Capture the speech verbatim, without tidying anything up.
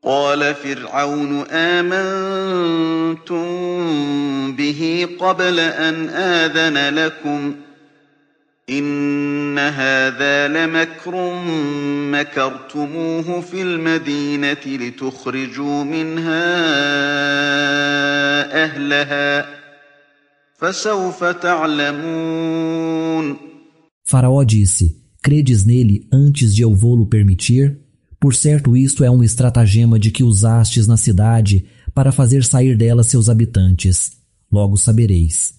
قال فرعون آمنتم به قبل أن آذن لكم إن هذا لمكر مكرتموه في المدينة لتخرجوا منها أهلها فسوف تعلمون. Faraó disse: credes nele antes de eu vô-lo permitir? Por certo, isto é um estratagema de que usastes na cidade para fazer sair dela seus habitantes. Logo sabereis.